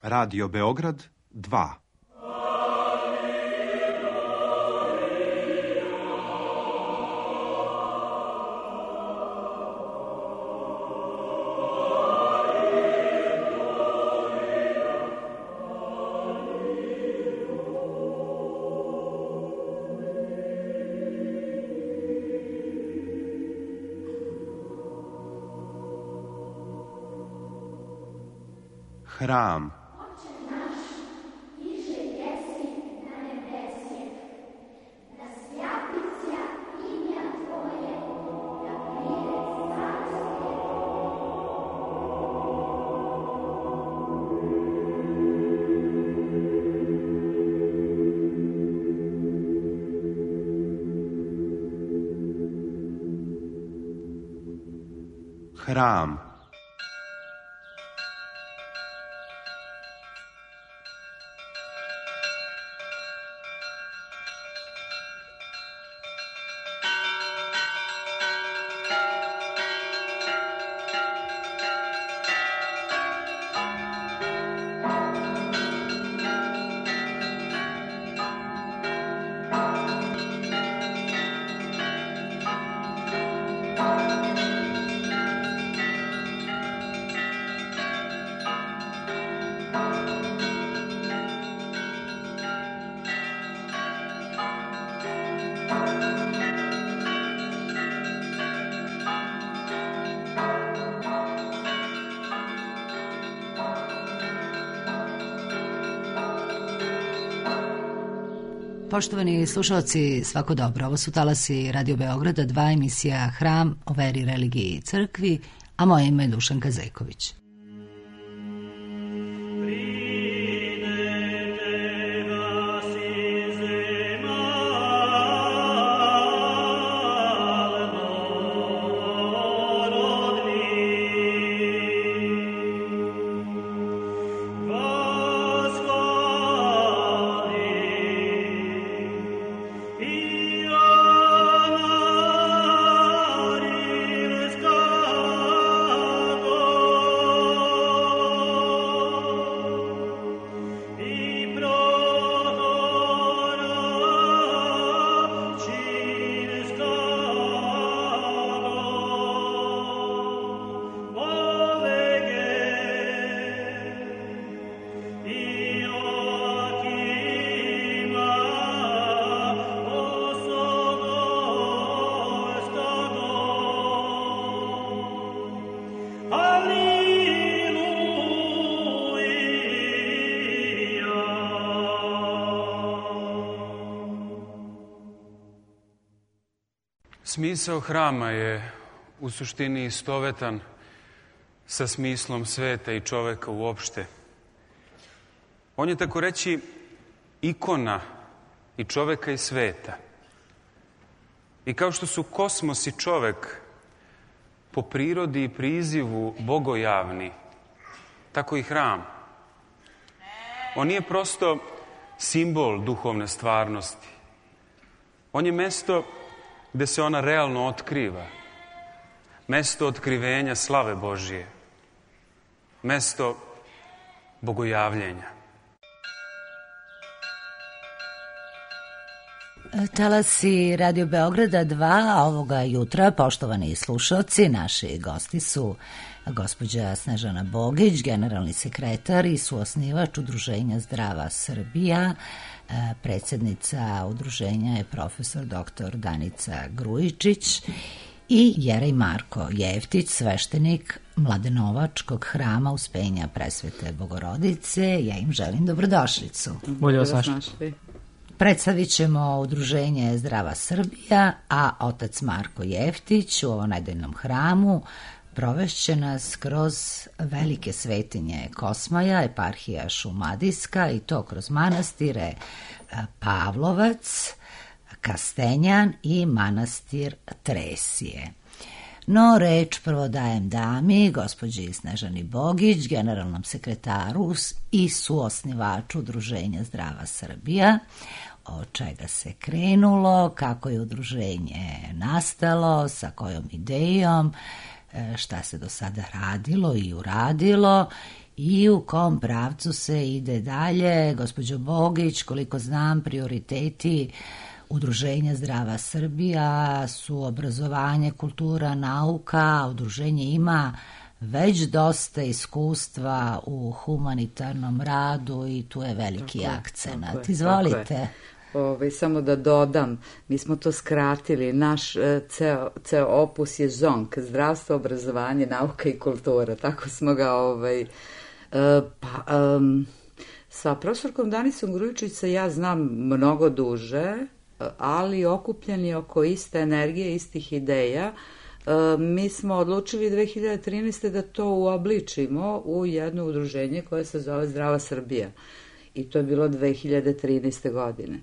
Radio Beograd 2. Hram. Hram. Poštovani slušalci, svako dobro. Ovo su talasi Radio Beograda 2, emisija Hram o veri, religiji i crkvi, a moje ime je Dušanka Zejković. Smisao hrama je u suštini istovetan sa smislom sveta i čoveka uopšte. On je, tako reći, ikona i čoveka i sveta. I kao što su kosmos i čovek po prirodi i prizivu bogojavni, tako i hram. On nije prosto simbol duhovne stvarnosti. On je mesto gde se ona realno otkriva. Mesto otkrivenja slave Božije. Mesto bogojavljenja. Talasi Radio Beograda 2 ovoga jutra, poštovani slušalci, naši gosti su gospođa Snežana Bogić, generalni sekretar i suosnivač Udruženja Zdrava Srbija. Predsjednica udruženja je profesor dr. Danica Grujičić i Jerej Marko Jeftić, sveštenik Mladenovačkog hrama Uspenja Presvete Bogorodice. Ja im želim dobrodošlicu. Bolje vas našli. Predstavit ćemo udruženje Zdrava Srbija, a otac Marko Jeftić u ovom nedeljnom hramu provešće nas kroz velike svetinje Kosmaja, eparhija Šumadijska, i to kroz manastire Pavlovac, Kastenjan i manastir Tresije. No, reč prvo dajem dami, gospođi Snežani Bogić, generalnom sekretaru i suosnivaču Udruženja Zdrava Srbija, od čega se krenulo, kako je udruženje nastalo, sa kojom idejom, šta se do sada radilo i uradilo i u kom pravcu se ide dalje. Gospođo Bogić, koliko znam, prioriteti Udruženja Zdrava Srbija su obrazovanje, kultura, nauka. Udruženje ima već dosta iskustva u humanitarnom radu i tu je veliki akcenat. Izvolite. Samo da dodam, mi smo to skratili, naš ceo opus je ZONK, zdravstvo, obrazovanje, nauka i kultura, tako smo ga sa profesorkom Danicom Grujičić se ja znam mnogo duže, ali okupljeni oko iste energije, istih ideja. Mi smo odlučili 2013. da to uobličimo u jedno udruženje koje se zove Zdrava Srbija. I to je bilo 2013. godine.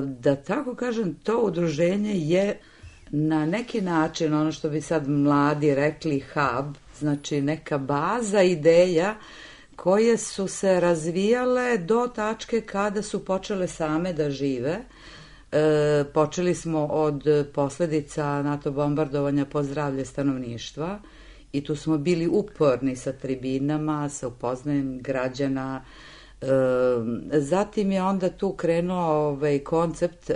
Da tako kažem, to udruženje je na neki način, ono što bi sad mladi rekli hub, znači neka baza ideja koje su se razvijale do tačke kada su počele same da žive. Počeli smo od posledica NATO bombardovanja po zdravlje stanovništva i tu smo bili uporni sa tribinama, sa upoznajem građana. Zatim je onda tu krenuo koncept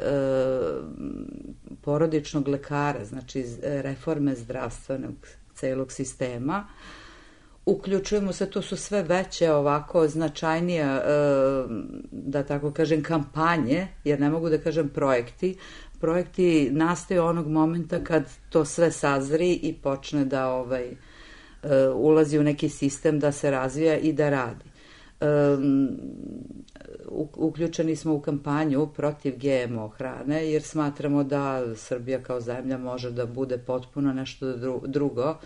porodičnog lekara, znači reforme zdravstvenog celog sistema. Uključujemo se, to su sve veće ovako značajnije, da tako kažem, kampanje, jer ne mogu da kažem projekti. Projekti nastaju onog momenta kad to sve sazri i počne da ulazi u neki sistem, da se razvija i da radi. Uključeni smo u kampanju protiv GMO hrane, jer smatramo da Srbija kao zemlja može da bude potpuno nešto drugo,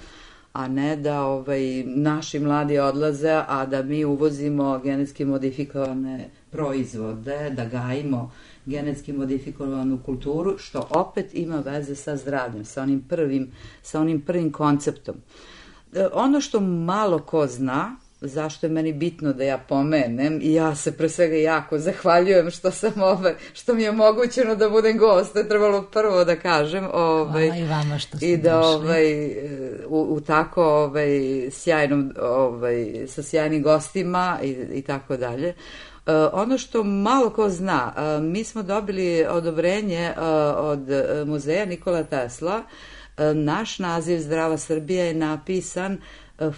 a ne da naši mladi odlaze, a da mi uvozimo genetski modifikovane proizvode, da gajimo genetski modifikovanu kulturu, što opet ima veze sa zdravljem, sa onim prvim konceptom. Ono što malo ko zna, zašto je meni bitno da ja pomenem, i ja se pre svega jako zahvaljujem što mi je omogućeno da budem gost, to je trebalo prvo da kažem. Hvala i vama što ste došli. U tako sjajnom, sa sjajnim gostima i tako dalje. Ono što malo ko zna, mi smo dobili odobrenje od muzeja Nikola Tesla. Naš naziv Zdrava Srbija je napisan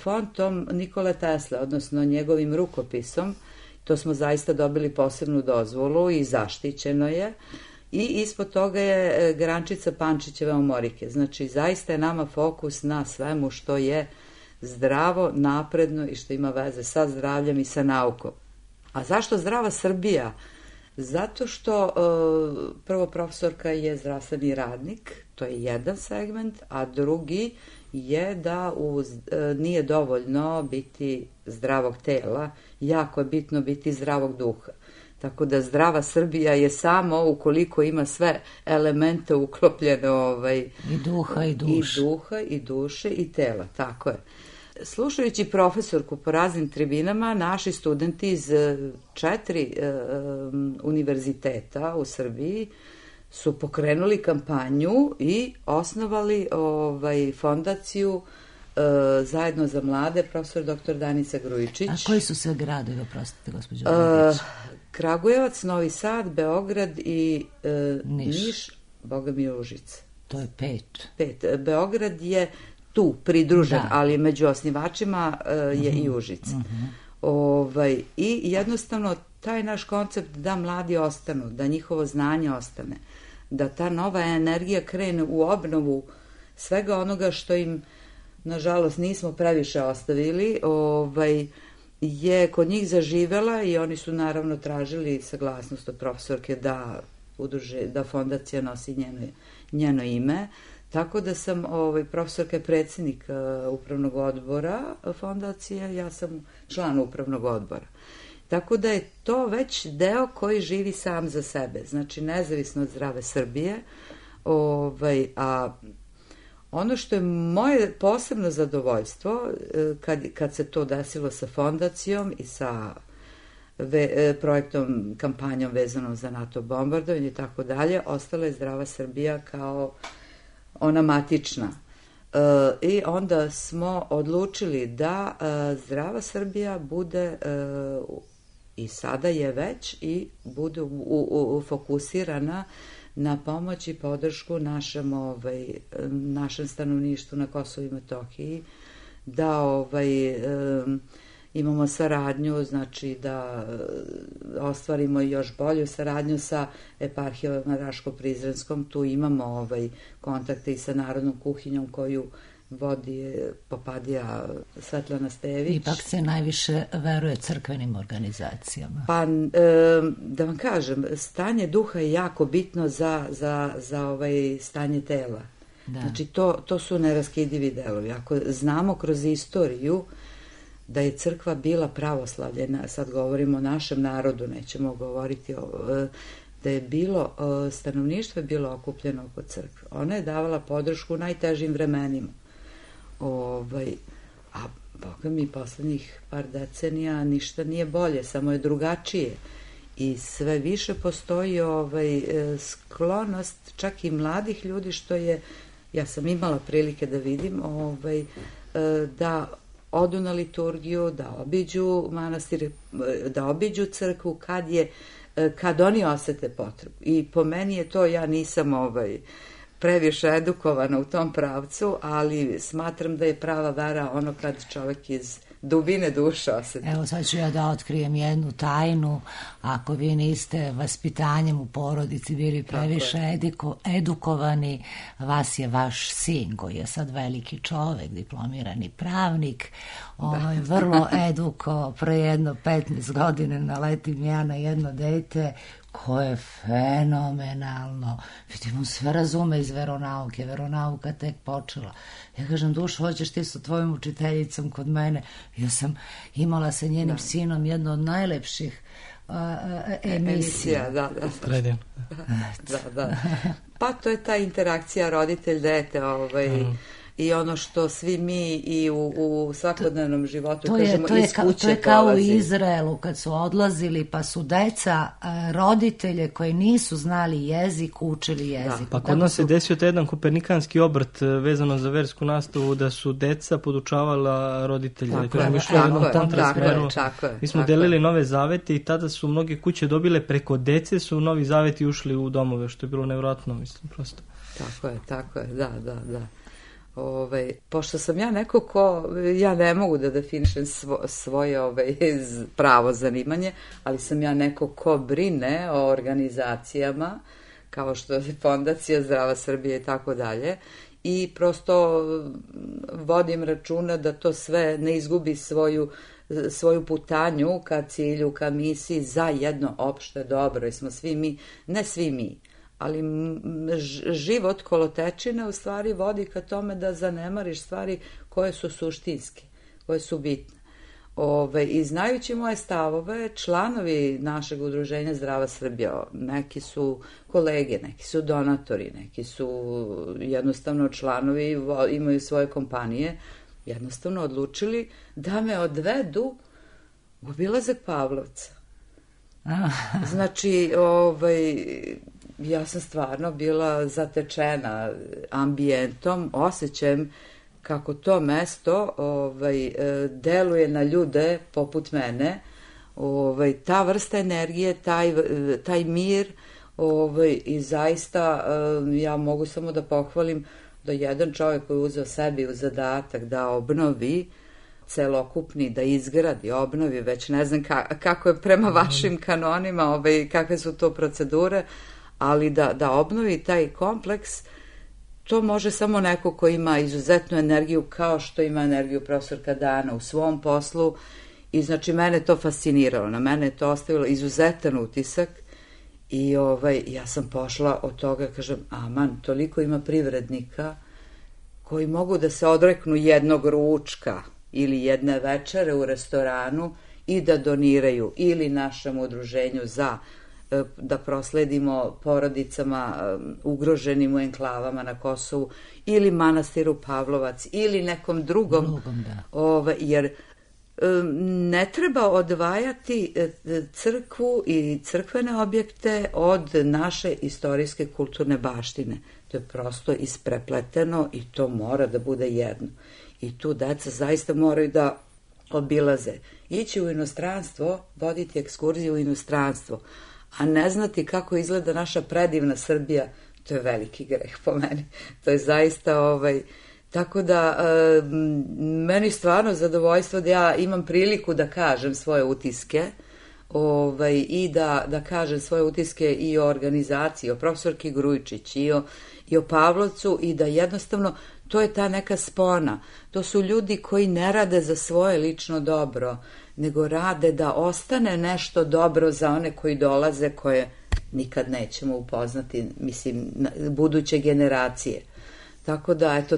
fontom Nikole Tesle, odnosno njegovim rukopisom. To smo zaista dobili posebnu dozvolu i zaštićeno je. I ispod toga je grančica Pančićeve omorike. Znači, zaista je nama fokus na svemu što je zdravo, napredno i što ima veze sa zdravljem i sa naukom. A zašto Zdrava Srbija? Zato što prvo profesorka je zdravstveni radnik, to je jedan segment, a drugi je da nije dovoljno biti zdravog tela, jako je bitno biti zdravog duha. Tako da Zdrava Srbija je samo ukoliko ima sve elemente uklopljene i duha i duše. I duha i duše i tela, tako je. Slušajući profesorku po raznim tribinama, naši studenti iz 4 univerziteta u Srbiji su pokrenuli kampanju i osnovali fondaciju Zajedno za mlade, profesor dr. Danica Grujičić. A koji su sve gradovi, oprostite, gospođo Grujičić? Kragujevac, Novi Sad, Beograd i Niš, Boga mi Užice. To je 5. 5. Beograd je tu pridružen, ali među osnivačima je i Užice. I jednostavno taj naš koncept da mladi ostanu, da njihovo znanje ostane, da ta nova energija krene u obnovu svega onoga što im, nažalost, nismo previše ostavili, je kod njih zaživela i oni su naravno tražili saglasnost od profesorke da fondacija nosi njeno ime. Tako da sam, profesorka je predsjednik upravnog odbora fondacije, ja sam član upravnog odbora. Tako da je to već deo koji živi sam za sebe, znači nezavisno od Zdrave Srbije. A ono što je moje posebno zadovoljstvo, kad se to desilo sa fondacijom i sa projektom, kampanjom vezanom za NATO bombardovanje i tako dalje, ostala je Zdrava Srbija kao ona matična. I onda smo odlučili da Zdrava Srbija bude, i sada je već, i bude fokusirana na pomoć i podršku našem stanovništvu na Kosovu i Metohiji, da imamo saradnju, znači da ostvarimo još bolju saradnju sa eparhijom Raško-Prizrenskom. Tu imamo kontakte i sa Narodnom kuhinjom koju vodi Popadija Svetlana Stević. Ipak se najviše veruje crkvenim organizacijama. Pa, da vam kažem, stanje duha je jako bitno za stanje tela. Da. Znači, to su neraskidivi delovi. Ako znamo kroz istoriju da je crkva bila pravoslavljena, sad govorimo o našem narodu, nećemo govoriti da je bilo, stanovništvo je bilo okupljeno oko crkve. Ona je davala podršku u najtežim vremenima. A boga mi poslednjih par decenija ništa nije bolje, samo je drugačije. I sve više postoji sklonost čak i mladih ljudi, što je, ja sam imala prilike da vidim, da odu na liturgiju, da obiđu manastir, da obiđu crkvu kad oni osete potrebu. I po meni je to, ja nisam previše edukovana u tom pravcu, ali smatram da je prava vera ono kad čovjek iz dubine duše osjeti. Evo sad ću ja da otkrijem jednu tajnu. Ako vi niste vaspitanjem u porodici bili previše edukovani, vas je vaš sin, koji je sad veliki čovek, diplomirani pravnik, vrlo eduko, pre jedno 15 godina naletim ja na jedno dete koje je fenomenalno. Vidim, on sve razume iz veronauke. Veronauka tek počela. Ja kažem, Dušo, hoćeš ti sa tvojom učiteljicom kod mene? Ja sam imala sa njenim sinom jedno od najlepših emisija. Da. Pa to je ta interakcija roditelj-dete, i ono što svi mi i u svakodnevnom životu kažemo iz kuće. To je kao u Izraelu kad su odlazili pa su deca roditelje koji nisu znali jezik učili jezik. Pa kod nas se desio taj jedan kopernikanski obrt vezano za versku nastavu, da su deca podučavala roditelje. Mi smo delili nove zavete i tada su mnoge kuće dobile, preko dece su novi zaveti ušli u domove, što je bilo nevjerojatno, mislim, prosto. Tako je, da. Pošto sam ja neko ko, ja ne mogu da definišem svoje pravo zanimanje, ali sam ja neko ko brine o organizacijama, kao što je Fondacija Zdrava Srbija i tako dalje, i prosto vodim računa da to sve ne izgubi svoju putanju ka cilju, ka misiji za jedno opšte dobro. I smo svi mi, ne svi mi, ali život kolotečine u stvari vodi ka tome da zanemariš stvari koje su suštinske, koje su bitne. I znajući moje stavove, članovi našeg udruženja Zdrava Srbija, neki su kolege, neki su donatori, neki su jednostavno članovi, imaju svoje kompanije, jednostavno odlučili da me odvedu u obilazak Pavlovca. Znači, ja sam stvarno bila zatečena ambijentom, osjećajem kako to mesto deluje na ljude poput mene, ta vrsta energije, taj mir, i zaista ja mogu samo da pohvalim da jedan čovjek koji je uzeo sebi u zadatak da obnovi celokupni, da izgradi, obnovi, već ne znam kako je prema vašim kanonima, kakve su to procedure, ali da obnovi taj kompleks, to može samo neko ko ima izuzetnu energiju, kao što ima energiju profesorka Dana u svom poslu, i znači mene to fasciniralo, na mene je to ostavilo izuzetan utisak, i ja sam pošla od toga, kažem, aman, toliko ima privrednika koji mogu da se odreknu jednog ručka ili jedne večere u restoranu i da doniraju ili našem udruženju da prosledimo porodicama ugroženim u enklavama na Kosovu, ili manastiru Pavlovac, ili nekom drugom, jer ne treba odvajati crkvu i crkvene objekte od naše istorijske kulturne baštine. To je prosto isprepleteno i to mora da bude jedno. I tu deca zaista moraju da obilaze. Ići u inostranstvo, voditi ekskurziju u inostranstvo, a ne znati kako izgleda naša predivna Srbija, to je veliki greh po meni. To je zaista tako da meni stvarno zadovoljstvo da ja imam priliku da kažem svoje utiske i da kažem svoje utiske i o organizaciji, o profesorki Grujičić i o Pavlovcu i da jednostavno to je ta neka spona. To su ljudi koji ne rade za svoje lično dobro, nego rade da ostane nešto dobro za one koji dolaze, koje nikad nećemo upoznati, mislim, buduće generacije. Tako da, eto,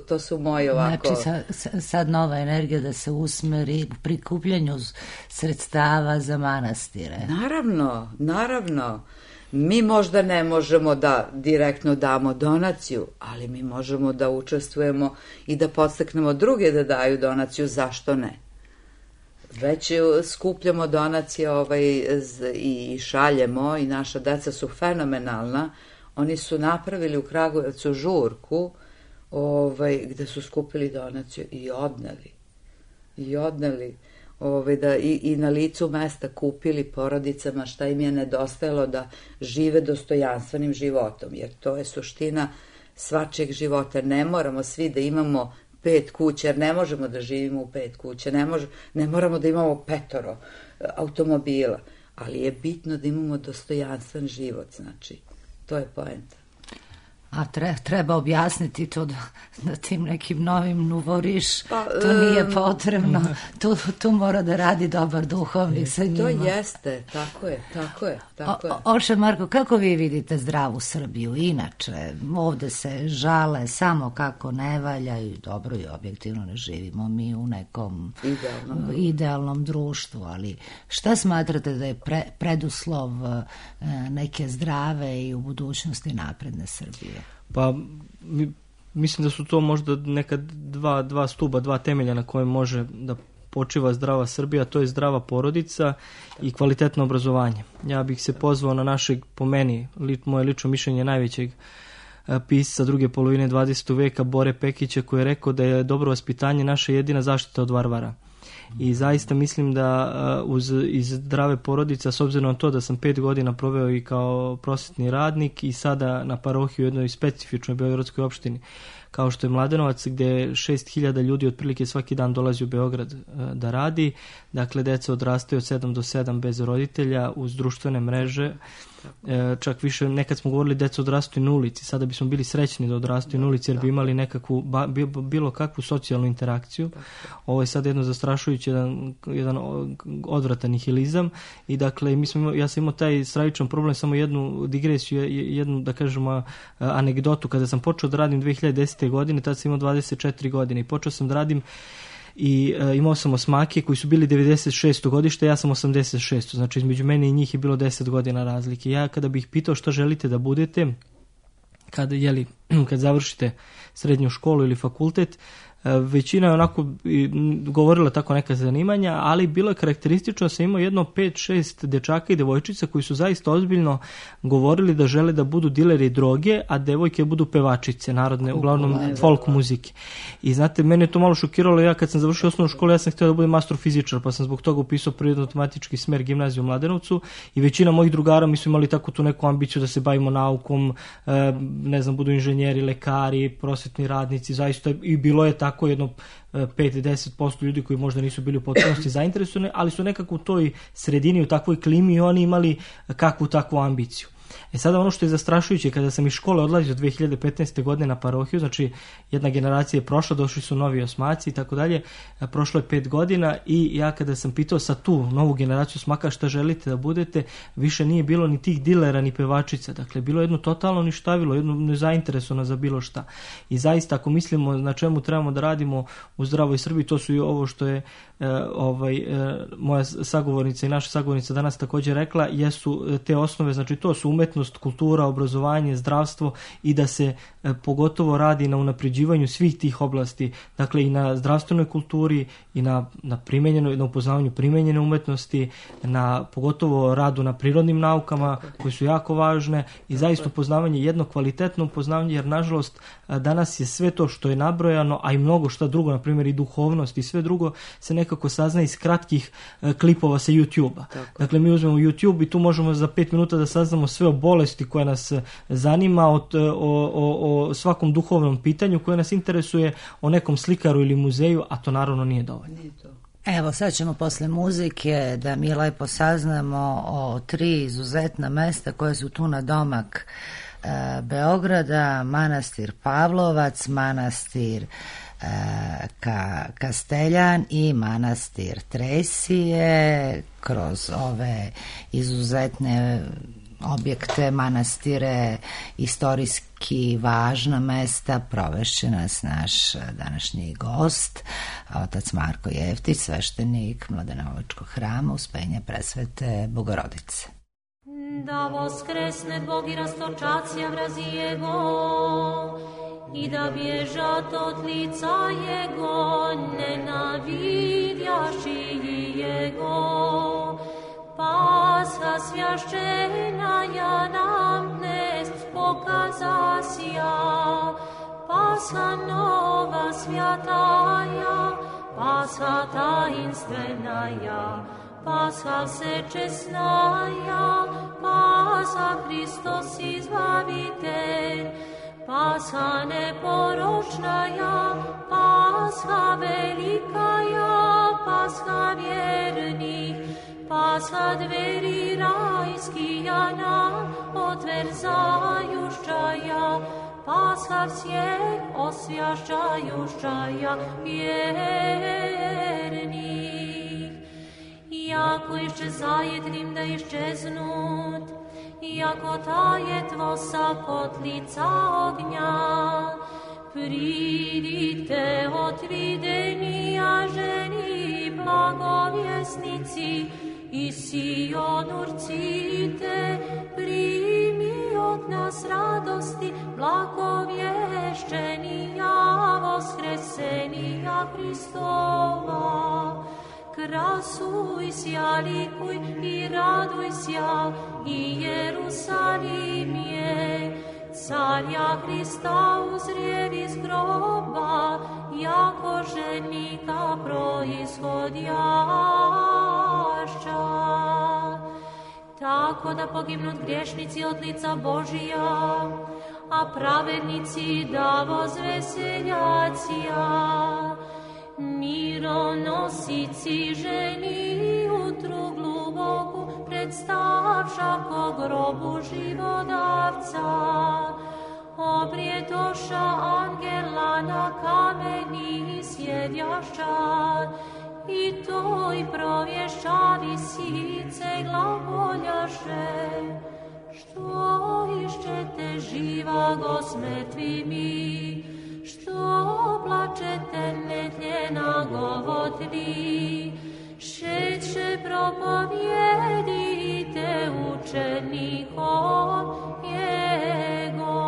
to su moji ovako... Znači, sad nova energija da se usmeri u prikupljanju sredstava za manastire. Naravno. Mi možda ne možemo da direktno damo donaciju, ali mi možemo da učestvujemo i da podstaknemo druge da daju donaciju, zašto ne? Već skupljamo donacije i šaljemo i naša deca su fenomenalna. Oni su napravili u Kragujevcu žurku gde su skupili donaciju i odneli i na licu mesta kupili porodicama šta im je nedostajalo da žive dostojanstvenim životom, jer to je suština svačijeg života. Ne moramo svi da imamo 5 kuća, jer ne možemo da živimo u 5 kuća, ne moramo da imamo 5 automobila, ali je bitno da imamo dostojanstven život, znači, to je poenta. A treba objasniti to da tim nekim novim nuvoriš, to nije potrebno, tu mora da radi dobar duhovnik sa njima. To jeste, tako je. Oče Marko, kako vi vidite zdravu Srbiju? Inače, ovde se žale samo kako ne valja i dobro i objektivno ne živimo mi u nekom idealnom društvu, ali šta smatrate da je preduslov neke zdrave i u budućnosti napredne Srbije? Pa mislim da su to možda neka dva stuba, dva temelja na kojem može da počiva zdrava Srbija, to je zdrava porodica i kvalitetno obrazovanje. Ja bih se pozvao na našeg, po meni, moje lično mišljenje, najvećeg pisca druge polovine 20. veka Bore Pekića, koji je rekao da je dobro vaspitanje naša jedina zaštita od varvara. I zaista mislim da iz zdrave porodice, s obzirom na to da sam 5 godina proveo i kao prosvetni radnik i sada na parohiji u jednoj specifičnoj beogradskoj opštini, kao što je Mladenovac, gde 6.000 ljudi otprilike svaki dan dolazi u Beograd da radi. Dakle, deca odrastaju od 7 do 7 bez roditelja, uz društvene mreže. Čak više, nekad smo govorili deca odrastaju na ulici, sada bismo bili srećni da odrastaju na ulici, jer bi imali nekakvu, bilo kakvu socijalnu interakciju. Ovo je sad jedno zastrašujući, jedan odvratan nihilizam i dakle, ja sam imao taj stravičan problem, samo jednu digresiju, jednu, da kažemo, anegdotu. Kada sam počeo da radim 2010. godine, tada sam imao 24 godine i počeo sam da radim i imao sam osmake koji su bili 96. godište, ja sam 86. Znači između mene i njih je bilo 10 godina razlike. Ja kada bih pitao što želite da budete kad završite srednju školu ili fakultet, većina je onako govorila tako neka zanimanja, ali bilo je karakteristično da sam imao jedno 5-6 dečaka i devojčica koji su zaista ozbiljno govorili da žele da budu dileri droge, a devojke budu pevačice narodne, uglavnom folk muzike. I znate, mene je to malo šokiralo. Ja kad sam završio osnovnu školu, ja sam htio da budem astrofizičar, pa sam zbog toga upisao prirodno-matematički smer gimnaziju u Mladenovcu i većina mojih drugara mi su imali tako tu neku ambiciju da se bavimo naukom, ne znam, budu inženjeri, lekari, prosvetni radnici, zaista i bilo je tako jedno 5-10% ljudi koji možda nisu bili u potpunosti zainteresovani, ali su nekako u toj sredini, u takvoj klimi i oni imali kakvu takvu ambiciju. Sada ono što je zastrašujuće, kada sam iz škole odlazio 2015. godine na parohiju, znači jedna generacija je prošla, došli su novi osmaci i tako dalje, prošlo je 5 godina i ja kada sam pitao sa tu novu generaciju osmaka šta želite da budete, više nije bilo ni tih dilera ni pevačica, dakle bilo jedno totalno ništavilo, jedno nezainteresovano za bilo šta. I zaista ako mislimo na čemu trebamo da radimo u zdravoj Srbiji, to su i ovo što je moja sagovornica i naša sagovornica danas također rekla, jesu te osnove, znači to su umetnost, kultura, obrazovanje, zdravstvo i da se pogotovo radi na unapređivanju svih tih oblasti, dakle i na zdravstvenoj kulturi i na upoznavanju primenjene umetnosti, na pogotovo radu na prirodnim naukama koje su jako važne i zaista upoznavanje, jedno kvalitetno upoznavanje, jer nažalost danas je sve to što je nabrojano, a i mnogo šta drugo, na primjer i duhovnost i sve drugo se nekako sazna iz kratkih klipova sa YouTube-a. Dakle, mi uzmemo YouTube i tu možemo za 5 minuta da saznamo sve o bolesti koja nas zanima, o svakom duhovnom pitanju koje nas interesuje, o nekom slikaru ili muzeju, a to naravno nije dovoljno. Evo, sad ćemo posle muzike da mi lepo saznamo o 3 izuzetna mesta koje su tu na domak Beograda: manastir Pavlovac, manastir Kasteljan i manastir Tresije. Kroz ove izuzetne objekte, manastire, istorijski važna mesta provešće nas naš današnji gost, otac Marko Jeftić, sveštenik Mladenovačkog hrama Uspenja Presvete Bogorodice. Da voskresne Bog i rastočacija vrazi Jego i da bježat od lica Jego nenavidjaši Jego. Pasha svjašćena ja nam dnes pokazasija, Pasha nova svjataja, Pasha tajinstvenaja, Pasha všečesnaja, Pasha Hristos izbavitelj, Pasha neporočnaja, Pasha velikaja, Pasha vjernih, Pasha dveri rajskija nam otverzajušćaja, Pasha vsjeh osvjašćajušćaja vjernih. Jako iščezaje trim da iščeznut, jako taje tvosa kotlica ognja, pridite otvidenija ženi blagovjesnici, i Sion urcite, primi od nas radosti, blagovješćenija, voskresenija Hristova. Krasuj sja, likuj i raduj sja, i Jerusalim je, carja Hrista uzrijev iz groba, jako ženika proizhodjašća. Tako da pognut griješnici od lica Božija, a pravednici da vozveseljacija. Mironosici ženi utru gluboku predstavša ko grobu živodavca. Obrijetoša angela na kameni sjedjašća, i toj provješća visice glagoljaše. Što išćete živa go s mrtvimi, što plačete netljena govotli, šeće propovijedite učenikom Jego.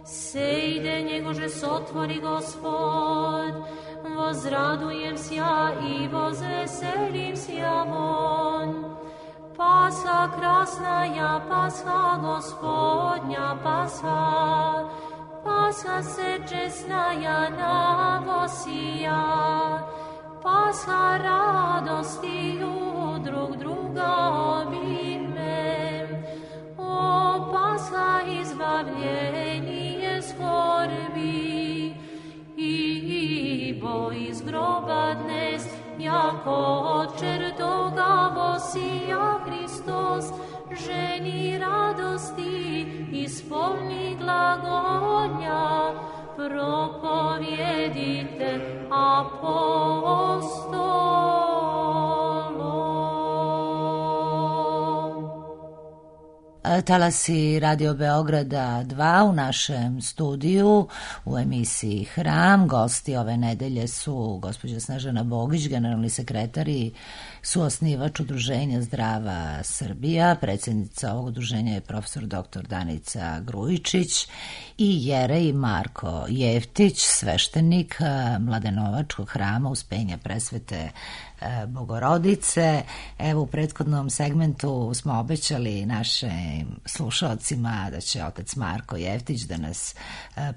Sejde njegože sotvori Gospod, vozradujem sja i vozveselim sja von. Pasha krasnaja, Pasha Gospodnja, Pasha, Pasha sečesnaja navosija, Pasha radostiju drug druga obime. O Pasha izbavljenije skorbi, ibo iz groba dnes, jako od čertoga vosija Hristos, ženi radosti, ispolni glagonja, propovjedite apostolom. Talasi Radio Beograda 2 u našem studiju u emisiji Hram. Gosti ove nedelje su gospođa Snežana Bogić, generalni sekretar i suosnivač Udruženja Zdrava Srbija. Predsjednica ovog udruženja je profesor dr. Danica Grujičić i Jerej Marko Jeftić, sveštenik Mladenovačkog hrama Uspenja Presvete Bogorodice. Evo, u prethodnom segmentu smo obećali našim slušalcima da će otac Marko Jeftić da nas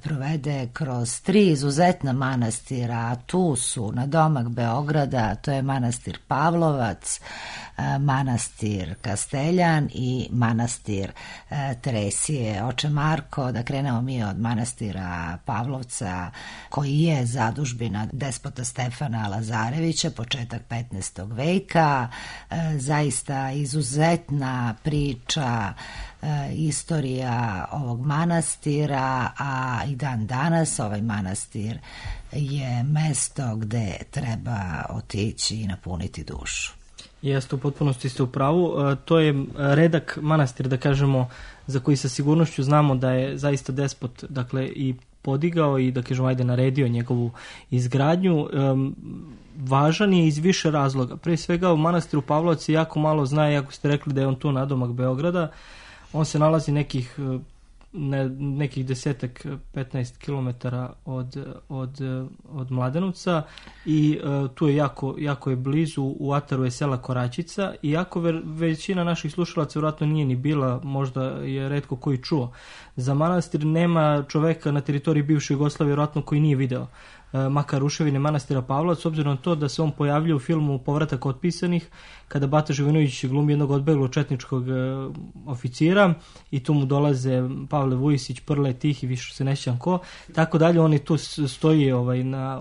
provede kroz 3 izuzetna manastira, a tu su na domak Beograda, to je manastir Pavlovac, manastir Kasteljan i manastir Teresije. Oče Marko, da krenemo mi od manastira Pavlovca, koji je zadužbina despota Stefana Lazarevića, početak 15. veka, zaista izuzetna priča, istorija ovog manastira, a i dan danas ovaj manastir je mesto gde treba otići i napuniti dušu. Jeste, u potpunosti ste u pravu. To je redak manastir, da kažemo, za koji sa sigurnošću znamo da je zaista despot, dakle, i podigao i, da kažemo, naredio njegovu izgradnju. Važan je iz više razloga. Prije svega, u manastiru Pavlovac je jako malo zna, iako ste rekli da je on tu nadomak Beograda. On se nalazi nekih 10-15 kilometara od Mladenovca i tu je jako je blizu, u ataru je sela Koračica, iako većina naših slušalaca vjerojatno nije ni bila, možda je retko koji čuo. Za manastir nema čoveka na teritoriji bivše Jugoslavije vjerojatno koji nije video makar ruševine manastira Pavlovac, s obzirom na to da se on pojavljuje u filmu Povratak otpisanih, kada Bata Živinović glumi jednog odbeglog četničkog oficira i tu mu dolaze Pavle Vujisić, Prle, Tih i više se ne sjećam ko, tako dalje. On je tu stoji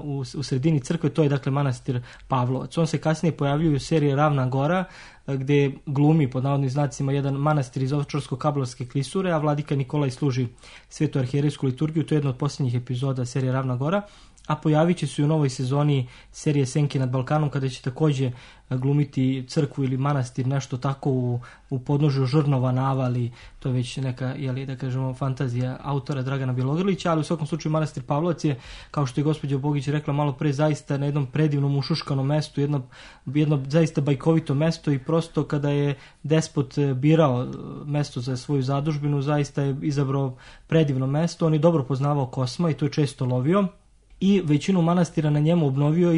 u sredini crkve, to je dakle manastir Pavlovac. On se kasnije pojavljuje u seriji Ravna Gora, gdje glumi pod navodnim znacima jedan manastir iz Ovčarsko-Kablarske klisure, a vladika Nikolaj služi svetu arhijerejsku liturgiju. To je jedna od posljednjih epizoda serije Ravna Gora, a pojavit će se u novoj sezoni serije Senke nad Balkanom, kada će također glumiti crkvu ili manastir, nešto tako u podnožju Žrnova navali. To je već neka, da kažemo, fantazija autora Dragana Bjelogrlića, ali u svakom slučaju manastir Pavlovac je, kao što je gospođa Bogić rekla malo pre, zaista na jednom predivnom ušuškanom mestu, jedno zaista bajkovito mesto, i prosto kada je despot birao mesto za svoju zadužbinu, zaista je izabrao predivno mesto. On je dobro poznavao Kosma i to je često lovio i većinu manastira na njemu obnovio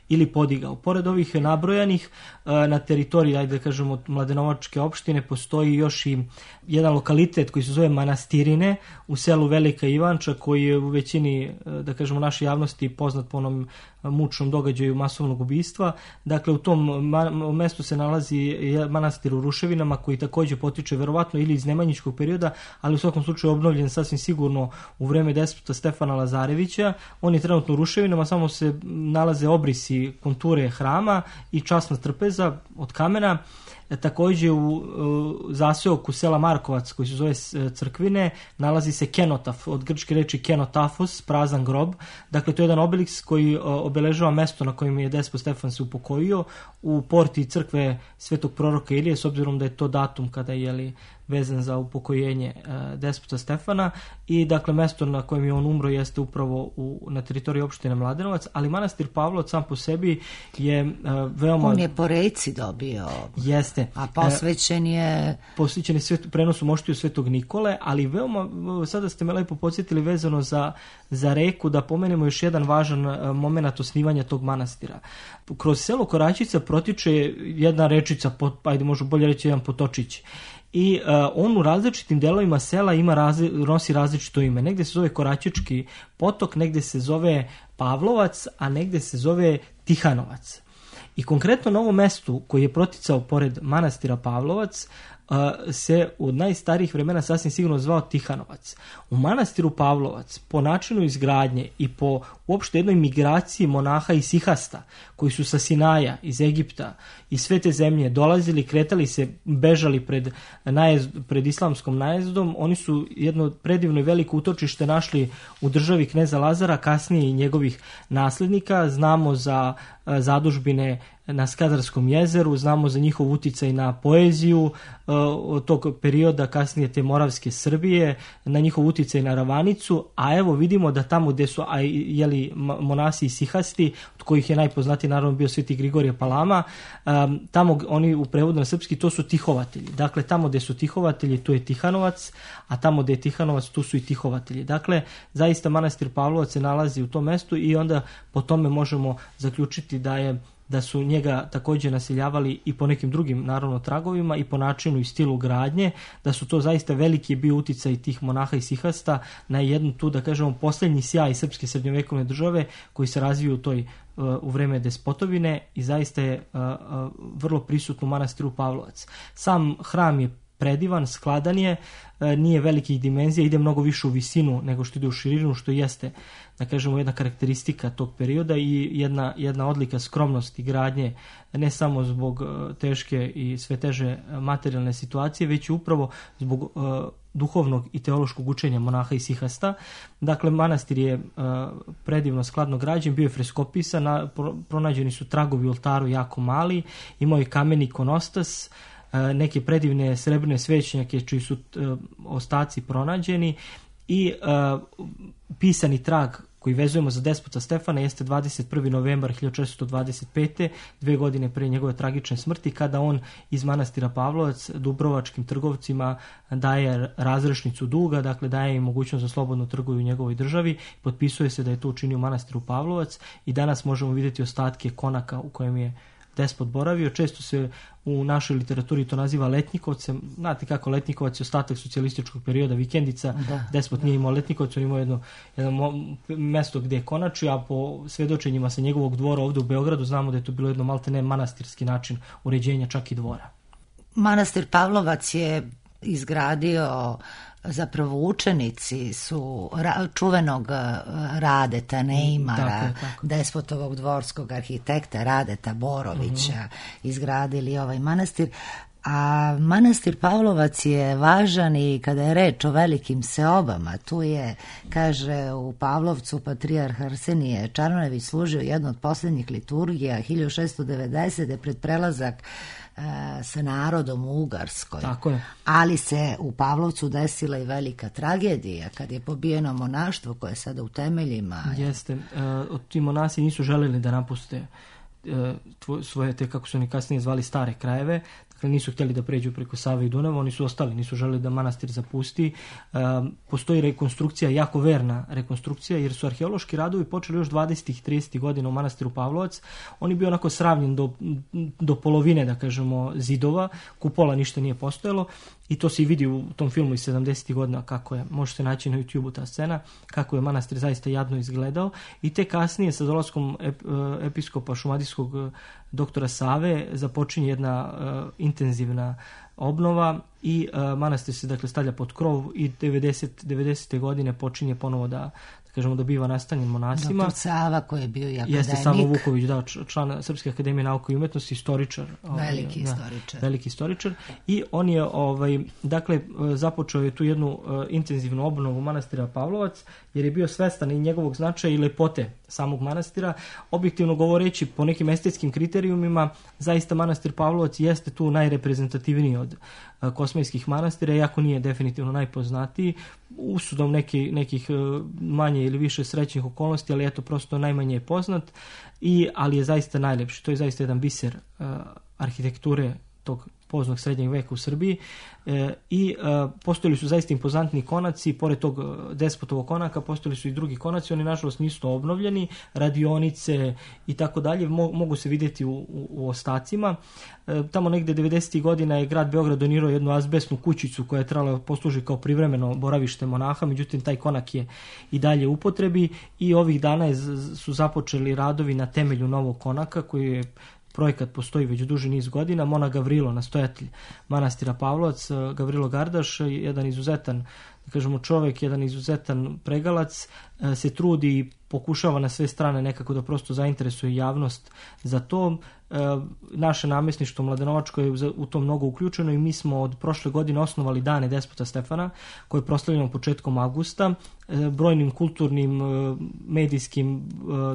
ili podigao. Pored ovih nabrojanih, na teritoriji, da kažemo, Mladenovačke opštine postoji još i jedan lokalitet koji se zove Manastirine u selu Velika Ivanča, koji je u većini, da kažemo, naše javnosti poznat po onom mučnom događaju masovnog ubistva. Dakle, u tom mestu se nalazi manastir u ruševinama, koji također potiče verovatno ili iz nemanjičkog perioda, ali u svakom slučaju obnovljen sasvim sigurno u vreme despota Stefana Lazarevića. On je trenutno u ruševinama, samo se nalaze obrisi konture hrama i časna trpeza od kamena. Također u zaseoku sela Markovac, koji se zove Crkvine, nalazi se kenotaf, od grčke reči kenotafos, prazan grob. Dakle, to je jedan obeliks koji obeležava mesto na kojem je despot Stefan se upokojio u porti crkve svetog proroka Ilije, s obzirom da je to datum kada je vezan za upokojenje despota Stefana, i dakle mesto na kojem je on umro jeste upravo na teritoriji opštine Mladenovac, ali manastir Pavlovac sam po sebi je veoma... On je po reci dobio. Jeste. A posvećen je... Posvećen je prenosu moštiju Svetog Nikole, ali veoma, sada ste me lepo podsjetili vezano za reku, da pomenemo još jedan važan moment osnivanja tog manastira. Kroz selo Koračica protiče jedna rečica, ajde možemo bolje reći jedan potočić, i on u različitim delovima sela nosi različito ime. Negdje se zove Koračički potok, negdje se zove Pavlovac, a negdje se zove Tihanovac. I konkretno na ovom mestu koji je proticao pored manastira Pavlovac se od najstarijih vremena sasvim sigurno zvao Tihanovac. U manastiru Pavlovac, po načinu izgradnje i po uopšte jednoj migraciji monaha i sihasta, koji su sa Sinaja, iz Egipta i sve te zemlje dolazili, kretali se, bežali pred islamskom najezdom, oni su jedno predivno i veliko utočište našli u državi kneza Lazara, kasnije i njegovih naslednika. Znamo za zadužbine na Skadarskom jezeru, znamo za njihov uticaj na poeziju od tog perioda, kasnije te Moravske Srbije, na njihov uticaj na Ravanicu, a evo vidimo da tamo gde su monasi i sihasti, od kojih je najpoznatiji naravno bio Sveti Grigorije Palama, tamo oni u prevodu na srpski to su tihovatelji. Dakle, tamo gde su tihovatelji, tu je Tihanovac, a tamo gde je Tihanovac, tu su i tihovatelji. Dakle, zaista manastir Pavlovac se nalazi u tom mestu i onda po tome možemo zaključiti da su njega također naseljavali i po nekim drugim naravno tragovima i po načinu i stilu gradnje, da su to zaista veliki bio uticaj tih monaha i sihasta na jednu tu, da kažemo, posljednji sjaj srpske srednjovekovne države koji se razviju u vreme despotovine i zaista je vrlo prisutno u manastiru Pavlovac. Sam hram je predivan, skladan je, nije velikih dimenzija, ide mnogo više u visinu nego što ide u širinu, što jeste, da kažemo, jedna karakteristika tog perioda i jedna odlika skromnosti gradnje, ne samo zbog teške i sve teže materijalne situacije, već upravo zbog duhovnog i teološkog učenja monaha i sihasta. Dakle, manastir je predivno skladno građen, bio je freskopisan, pronađeni su tragovi u oltaru jako mali, imao je kameni ikonostas, neke predivne srebrne svećnjake čiji su ostaci pronađeni i pisani trag koji vezujemo za despota Stefana jeste 21. novembar 1425. 2 godine pre njegove tragične smrti, kada on iz manastira Pavlovac dubrovačkim trgovcima daje razrešnicu duga, dakle daje im mogućnost da slobodno trguju u njegovoj državi, potpisuje se da je to učinio manastiru Pavlovac i danas možemo vidjeti ostatke konaka u kojem je despot boravio. Često se u našoj literaturi to naziva Letnjikovcem. Znate kako, Letnjikovac je ostatak socijalističkog perioda, vikendica. Despot nije imao Letnjikovac, on imao jedno mesto gdje je konačio, a po svedočenjima sa njegovog dvora ovdje u Beogradu znamo da je to bilo jedno maltene manastirski način uređenja čak i dvora. Manastir Pavlovac je izgradio, zapravo učenici su čuvenog Radeta Neimara, despotovog dvorskog arhitekta Radeta Borovića, izgradili ovaj manastir. A manastir Pavlovac je važan i kada je reč o velikim seobama. Tu je, kaže, u Pavlovcu patrijarh Arsenije Čarnojević služio jednu od posljednjih liturgija 1690. pred prelazak sa narodom u Ugarskoj. Tako je. Ali se u Pavlovcu desila i velika tragedija kad je pobijeno monaštvo koje je sada u temeljima. Jeste. Ti monasi nisu željeli da napuste svoje, te kako su oni kasnije zvali, stare krajeve. Dakle, nisu htjeli da pređu preko Save i Dunava, oni su ostali, nisu želeli da manastir zapusti. Postoji rekonstrukcija, jako verna rekonstrukcija, jer su arheološki radovi počeli još 20. i 30. godina u manastiru Pavlovac. On je bio onako sravnjen do polovine, da kažemo, zidova, kupola ništa nije postojalo i to se i vidi u tom filmu iz 70. godina, kako je, možete naći na YouTube-u ta scena, kako je manastir zaista jadno izgledao i te kasnije sa dolaskom episkopa šumadijskog doktora Save započinje jedna intenzivna obnova i manastir se, dakle, stavlja pod krov i 90. godine počinje ponovo da kažemo, dobiva nastanjen monasima. Doktor Sava koji je bio i akademik. Jeste Savo Vuković, član Srpske akademije nauke i umetnosti, istoričar. Veliki istoričar. I on je, dakle, započeo je tu jednu intenzivnu obnovu manastira Pavlovac, jer je bio svestan i njegovog značaja i lepote samog manastira. Objektivno govoreći, po nekim estetskim kriterijumima, zaista manastir Pavlovac jeste tu najreprezentativniji od kosmajskih manastira, iako nije definitivno najpoznatiji, usudom nekih manje ili više srećnih okolnosti, ali eto, prosto najmanje je poznat, ali je zaista najlepši. To je zaista jedan biser arhitekture tog poznog srednjeg veka u Srbiji i postojali su zaista impozantni konaci, pored tog despotovog konaka postojali su i drugi konaci, oni nažalost nisu obnovljeni, radionice i tako dalje, mogu se vidjeti u ostacima. Tamo negde 90. godina je grad Beograd donirao jednu azbestnu kućicu koja je trebala posluži kao privremeno boravište monaha, međutim taj konak je i dalje u upotrebi i ovih dana su započeli radovi na temelju novog konaka koji je projekat postoji već duži niz godina. Monah Gavrilo, nastojatelj manastira Pavlovac, Gavrilo Gardaš, jedan izuzetan, da kažemo, čovjek, jedan izuzetan pregalac, se trudi i pokušava na sve strane nekako da prosto zainteresuje javnost za to. naše namjesništvo Mladenovačko je u to mnogo uključeno i mi smo od prošle godine osnovali Dane Despota Stefana, koje proslavljamo početkom avgusta, brojnim kulturnim, medijskim,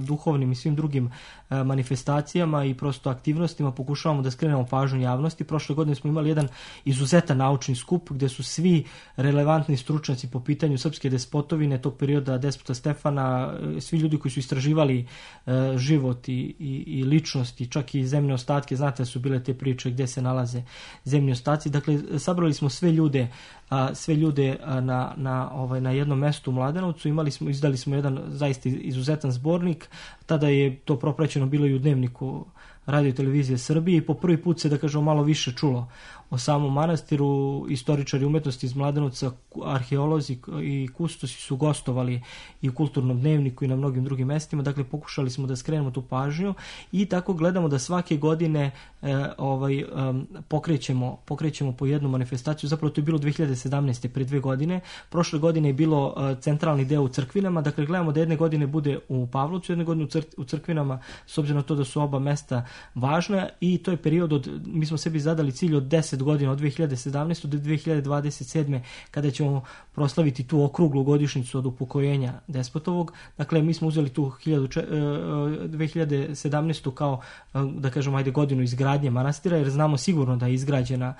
duhovnim i svim drugim manifestacijama i prosto aktivnostima pokušavamo da skrenemo pažnju javnosti. Prošle godine smo imali jedan izuzetan naučni skup gdje su svi relevantni stručnjaci po pitanju srpske despotovine tog perioda Despota Stefana, svi ljudi koji su istraživali život i ličnosti, čak i zemlje ostatke, znate da su bile te priče gdje se nalaze zemlji ostaci. Dakle, sabrali smo sve ljude na jednom mestu u Mladenovcu, izdali smo jedan zaista izuzetan zbornik, tada je to propraćeno bilo i u Dnevniku Radio i televizije Srbije i po prvi put se, da kažemo, malo više čulo o samom manastiru. Istoričari umetnosti iz Mladenovca, arheolozi i kustosi su gostovali i u Kulturnom dnevniku i na mnogim drugim mestima. Dakle, pokušali smo da skrenemo tu pažnju i tako gledamo da svake godine pokrećemo po jednu manifestaciju. Zapravo to je bilo 2017. pre 2 godine. Prošle godine je bilo centralni deo u Crkvinama. Dakle, gledamo da jedne godine bude u Pavlovcu, jedne godine u Crkvinama, s obzirom na to da su oba mesta važna, i to je period mi smo sebi zadali cilj od 10 godina, od 2017. do 2027. kada ćemo proslaviti tu okruglu godišnjicu od upokojenja Despotovog. Dakle, mi smo uzeli tu 2017. kao, da kažemo, godinu izgradnje manastira, jer znamo sigurno da je izgrađena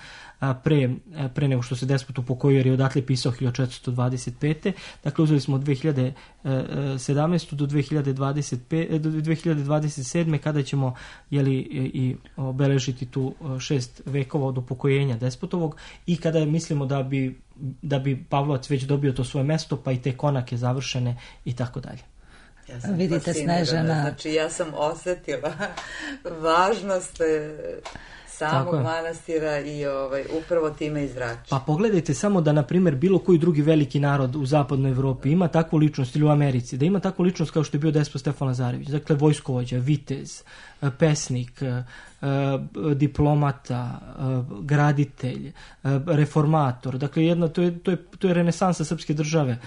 pre nego što se Despot upokojio, jer je odatle pisao 1425. Dakle, uzeli smo od 2017. do 2027. kada ćemo i obeležiti tu 6 vekova od upokojenja Despotovog, i kada mislimo da bi Pavlovac već dobio to svoje mesto, pa i te konake završene i tako dalje. Ja sam Vidite, Snežana. Znači, ja sam osjetila važnost samog manastira i upravo time izrači. Pa pogledajte samo da, na primjer, bilo koji drugi veliki narod u zapadnoj Evropi ima takvu ličnost, ili u Americi, da ima takvu ličnost kao što je bio Despot Stefan Lazarević. Dakle, vojskovođa, vitez, pesnik, diplomata, graditelj, reformator. Dakle, to je renesansa srpske države.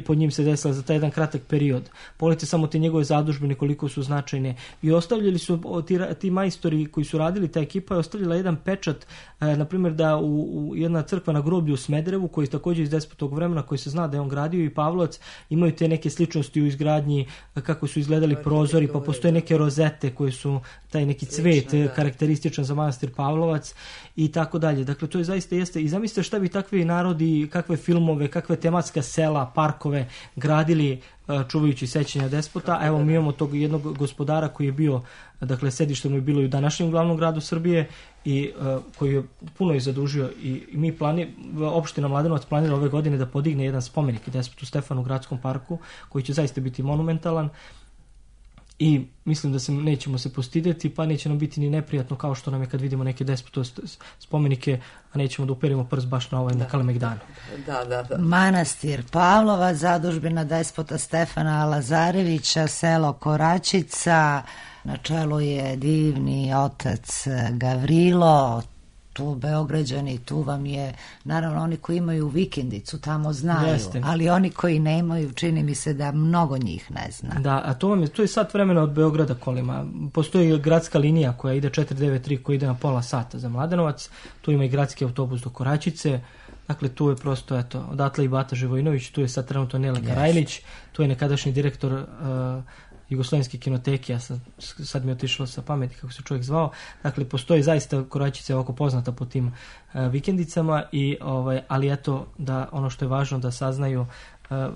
Pod njim se desila za taj jedan kratak period. Pogledajte samo te njegove zadužbine koliko su značajne. I ostavljali su ti majstori koji su radili, ta ekipa je ostavljala jedan pečat, na primjer da u jedna crkva na groblju u Smederevu, koji je također iz Despotovog vremena, koji se zna da je on gradio, i Pavlovac, imaju te neke sličnosti u izgradnji, kako su izgledali prozori, pa postoje neke rozete koje su taj neki cvet karakterističan za manastir Pavlovac i tako dalje. Dakle, to je zaista jeste. I zamislite šta bi takvi narodi, kakve filmove, kakve tematska sela, parkove gradili čuvajući sećanja Despota. A evo, mi imamo tog jednog gospodara koji je bio, dakle, sedište mu je bilo i u današnjem glavnom gradu Srbije, i koji je puno i zadužio, i mi opština Mladenovac planira ove godine da podigne jedan spomenik Despotu Stefanu u gradskom parku, koji će zaista biti monumentalan. I mislim da nećemo se postidjeti, pa neće nam biti ni neprijatno kao što nam je kad vidimo neke Despotove spomenike, a nećemo da uperimo prst baš na na Kalemegdanu. Da. Manastir Pavlova, zadužbina Despota Stefana Lazarevića, selo Koračica, na čelu je divni otac Gavrilo. Tu Beograđani, tu vam je, naravno, oni koji imaju vikendicu tamo znaju, jeste. Ali oni koji nemaju, čini mi se da mnogo njih ne zna. Da, a to je sat vremena od Beograda kolima. Postoji gradska linija koja ide 493, koja ide na pola sata za Mladenovac, tu ima i gradski autobus do Koračice. Dakle, tu je prosto, odatle i Bata Živojinović, tu je sad trenutno Nele Karajlić, tu je nekadašnji direktor Jugoslovenske kinoteke, sad mi je otišlo sa pameti kako se čovjek zvao. Dakle, postoji zaista Koračica ovako poznata po tim vikendicama, ali eto, da ono što je važno da saznaju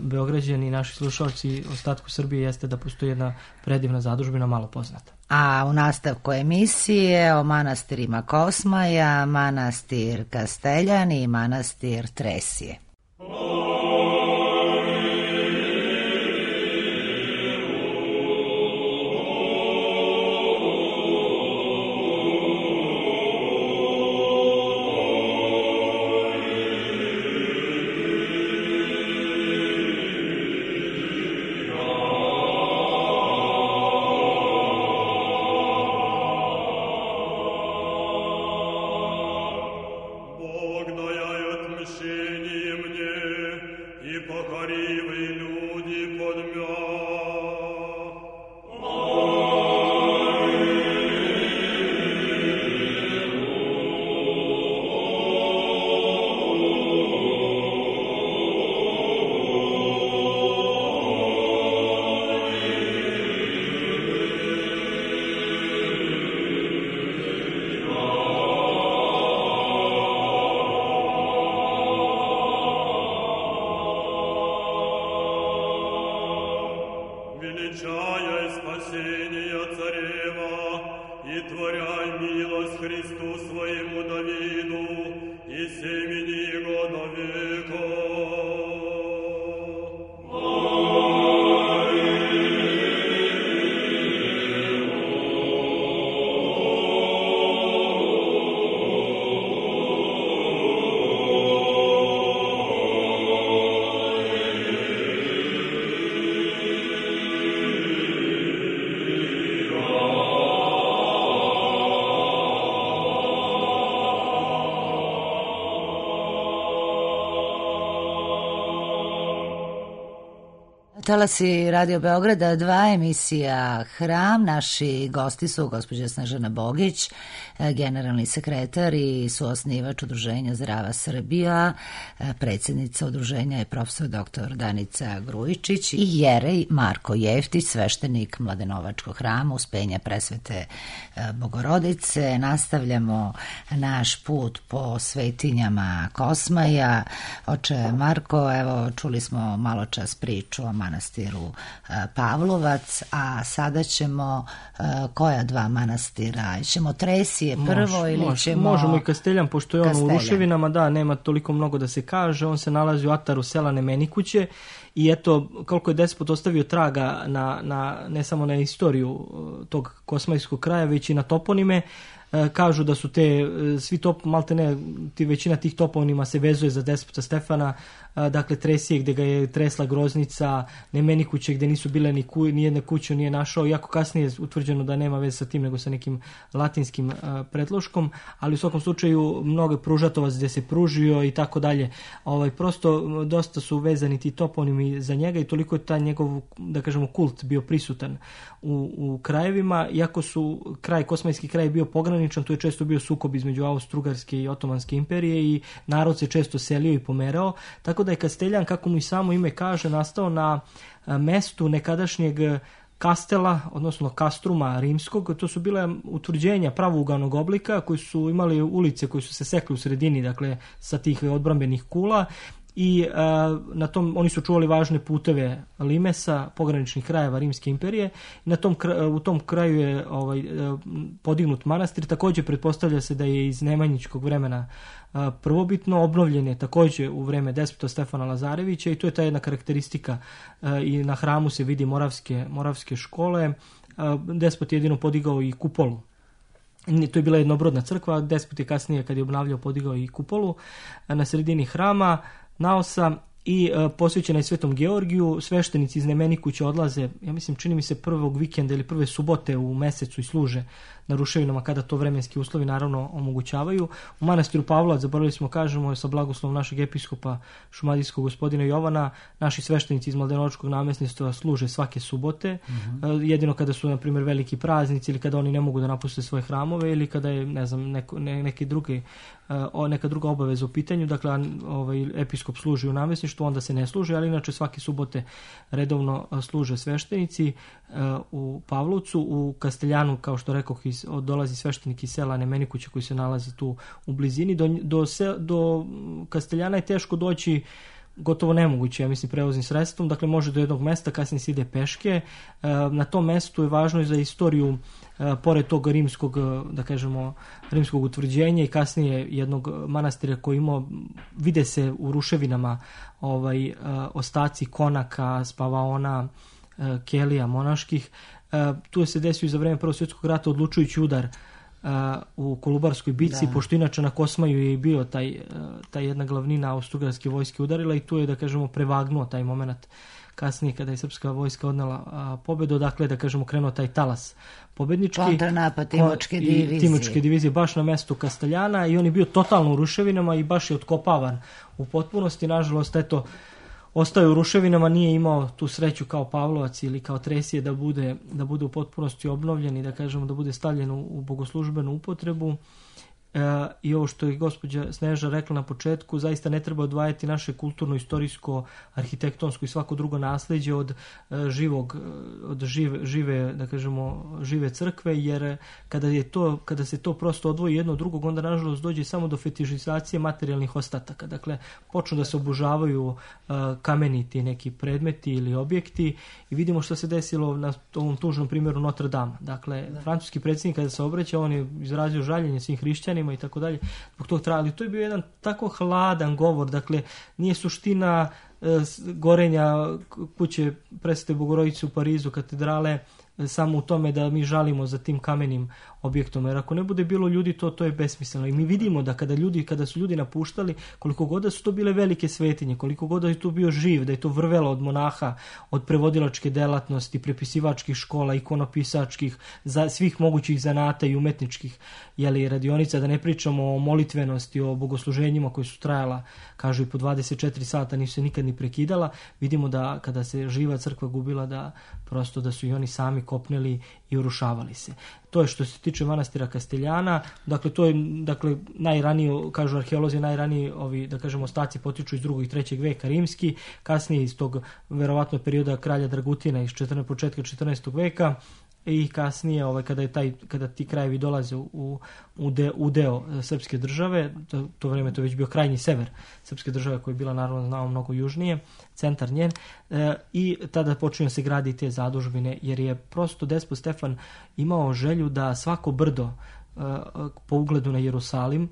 Beograđani i naši slušalci ostatku Srbije jeste da postoji jedna predivna zadužbina, malo poznata. A u nastavku emisije o manastirima Kosmaja, manastir Kasteljani i manastir Tresije. Бог даяет мщением своему Давиду и семени его до века. Talasi Radio Beograda, 2 emisija Hram. Naši gosti su gospođa Snežana Bogić, generalni sekretar i suosnivač Udruženja Zdrava Srbija, predsjednica udruženja je profesor dr. Danica Grujičić i jerej Marko Jeftić, sveštenik Mladenovačkog hrama Uspenja Presvete Bogorodice. Nastavljamo naš put po svetinjama Kosmaja. Oče Marko, evo čuli smo malo čas priču o manastiru Pavlovac, a sada ćemo koja 2 manastira? Ćemo Tresije prvo ili ćemo... Možemo i Kasteljan, pošto je on u ruševinama, da, nema toliko mnogo da se kaže, on se nalazi u ataru sela Nemenikuće i eto, koliko je despot ostavio traga ne samo na istoriju tog kosmajskog kraja, već i na toponime. Kažu da su svi većina tih toponima se vezuje za despota Stefana, dakle Tresije gdje ga je tresla groznica, Nemenikuće gdje nisu bile ni jedne kuće nije našao, iako kasnije je utvrđeno da nema veze sa tim nego sa nekim latinskim predloškom, ali u svakom slučaju mnogo je pružatovac gdje se pružio i tako dalje. Prosto dosta su vezani ti toponimi za njega i toliko je taj njegov, da kažemo, kult bio prisutan u krajevima, iako su kosmajski kraj bio pograničan, tu je često bio sukob između Austro-Ugarske i Otomanske imperije i narod se često selio i pomerao, tako da je Kasteljan, kako mu i samo ime kaže, nastao na mestu nekadašnjeg kastela, odnosno kastruma rimskog. To su bile utvrđenja pravouganog oblika koji su imali ulice koji su se sekli u sredini, dakle sa tih odbrambenih kula, i na tom oni su čuvali važne puteve limesa, pograničnih krajeva Rimske imperije. U tom kraju je podignut manastir. Također pretpostavlja se da je iz nemanjičkog vremena prvobitno, obnovljen je također u vreme despota Stefana Lazarevića i to je ta jedna karakteristika. I na hramu se vidi moravske škole. Despot je jedino podigao i kupolu. To je bila jednobrodna crkva, despot je kasnije, kad je obnavljao, podigao i kupolu na sredini hrama naosa i posvećena je Svetom Georgiju. Sveštenici iz Nemenikuća odlaze, ja mislim, čini mi se prvog vikenda ili prve subote u mesecu i služe na ruševinama kada to vremenski uslovi naravno omogućavaju. U manastiru Pavlovac, zaboravili smo kažemo, sa blagoslovom našeg episkopa šumadijskog gospodina Jovana, naši sveštenici iz Mladenovačkog namjesništva služe svake subote, jedino kada su, na primjer, veliki praznici ili kada oni ne mogu da napuste svoje hramove ili kada je, ne znam, neka druga obaveza u pitanju. Dakle, episkop služi u namjesništvu, onda se ne služi, ali inače svake subote redovno služe sveštenici u Pavlovcu. U Kasteljanu, kao što rekoh, dolazi sveštenik iz sela Nemenikuća koji se nalazi tu u blizini. Do Kasteljana je teško doći, gotovo nemoguće, ja mislim, prevoznim sredstvom, dakle može do jednog mesta, kasnije se ide peške. Na tom mestu je važno i za istoriju, pored tog rimskog, da kažemo, rimskog utvrđenja i kasnije jednog manastira koji imao, vide se u ruševinama ostaci konaka, spavaona, kelija monaških. Tu se desio za vreme Prvog svjetskog rata odlučujući udar u Kolubarskoj bici, pošto inače na Kosmaju je bio taj jedna glavnina austrougarske vojske udarila i tu je, da kažemo, prevagnuo taj moment kasnije kada je srpska vojska odnela pobedu, dakle, da kažemo, krenuo taj talas pobednički. Kontranapad Timočke divizije baš na mestu Kasteljana i on je bio totalno u ruševinama i baš je otkopavan u potpunosti. Nažalost, eto, ostao je u ruševinama, nije imao tu sreću kao Pavlovac ili kao Tresije da bude u potpunosti obnovljen i, da kažemo, da bude stavljen u bogoslužbenu upotrebu. I ovo što je gospođa Sneža rekla na početku, zaista ne treba odvajati naše kulturno, istorijsko, arhitektonsko i svako drugo nasleđe od žive, da kažemo, žive crkve, jer kada se to prosto odvoji jedno od drugog, onda nažalost dođe samo do fetišizacije materijalnih ostataka. Dakle, počnu da se obožavaju kameniti neki predmeti ili objekti i vidimo što se desilo na ovom tužnom primjeru Notre Dame. Dakle, francuski predsjednik kada se obraća, on je izrazio žaljenje svim hrišćanima hrišćanima i tako dalje. Zbog tog ali to je bio jedan tako hladan govor, dakle nije suština gorenja kuće Presvete Bogorodice u Parizu, katedrale, samo u tome da mi žalimo za tim kamenim objektom, jer ako ne bude bilo ljudi, to je besmisleno. I mi vidimo da kada su ljudi napuštali, koliko god da su to bile velike svetinje, koliko god da je tu bio živ, da je to vrvelo od monaha, od prevodilačke delatnosti, prepisivačkih škola, ikonopisačkih, svih mogućih zanata i umetničkih radionica, da ne pričamo o molitvenosti, o bogosluženjima koji su trajala, kažu i po 24 sata, nisu se nikad ni prekidala. Vidimo da kada se živa crkva gubila, da prosto da su i oni sami kopneli i urušavali se. To je što se tiče manastira Kasteljana. Dakle, to je najranije, kažu arheolozi, najraniji da kažemo ostaci potiču iz 2. i 3. veka rimski, kasnije iz tog verovatno perioda kralja Dragutina iz početka 14. veka i kasnije kada ti krajevi dolaze u deo srpske države, to vreme to je već bio krajnji sever srpske države koja je bila naravno znamo mnogo južnije, centar njen, i tada počinju se gradi te zadužbine, jer je prosto despot Stefan imao želju da svako brdo po ugledu na Jerusalim,